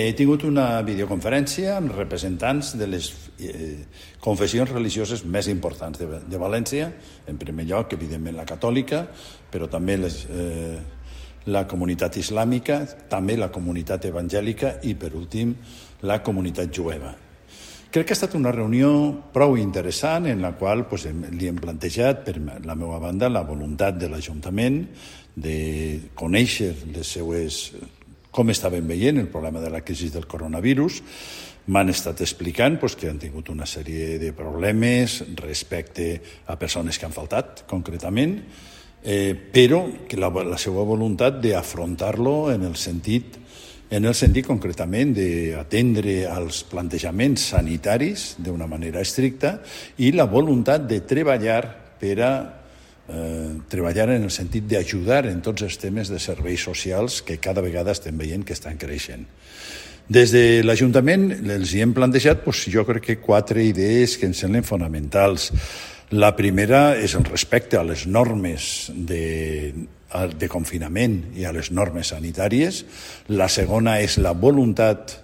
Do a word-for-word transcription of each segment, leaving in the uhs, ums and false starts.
He tingut una videoconferència amb representants de les eh, confessions religioses més importants de, de València, en primer lloc, evidentment, la catòlica, però també les, eh, la comunitat islàmica, també la comunitat evangèlica i, per últim, la comunitat jueva. Crec que ha estat una reunió prou interessant en la qual pues, li hem plantejat, per la meva banda, la voluntat de l'Ajuntament de conèixer les seues com estaven veient el problema de la crisi del coronavirus. M'han estat explicant pues, que han tingut una sèrie de problemes respecte a persones que han faltat, concretament, eh, però que la, la seva voluntat d'afrontar-lo en el sentit en el sentit concretament d'atendre als plantejaments sanitaris d'una manera estricta i la voluntat de treballar per a Eh, treballar en el sentit d'ajudar en tots els temes de serveis socials que cada vegada estem veient que estan creixent. Des de l'Ajuntament els hi hem plantejat doncs, jo crec que quatre idees que ens semblen fonamentals. La primera és el respecte a les normes de, de confinament i a les normes sanitàries. La segona és la voluntat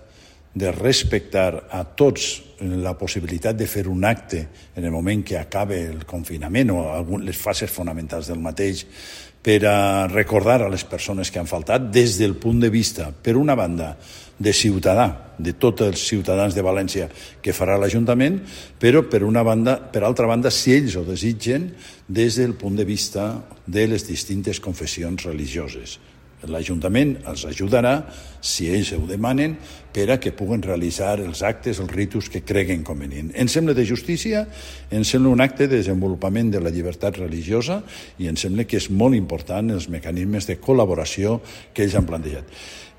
de respectar a tots la possibilitat de fer un acte en el moment que acabe el confinament o les fases fonamentals del mateix per a recordar a les persones que han faltat des del punt de vista, per una banda, de ciutadà, de tots els ciutadans de València que farà l'Ajuntament, però per una banda, per altra banda, si ells ho desitgen, des del punt de vista de les distintes confessions religioses. L'Ajuntament els ajudarà, si ells ho demanen, per a que puguen realitzar els actes, els ritus que creguen convenient. Em sembla de justícia, em sembla un acte de desenvolupament de la llibertat religiosa i em sembla que és molt important els mecanismes de col·laboració que ells han plantejat.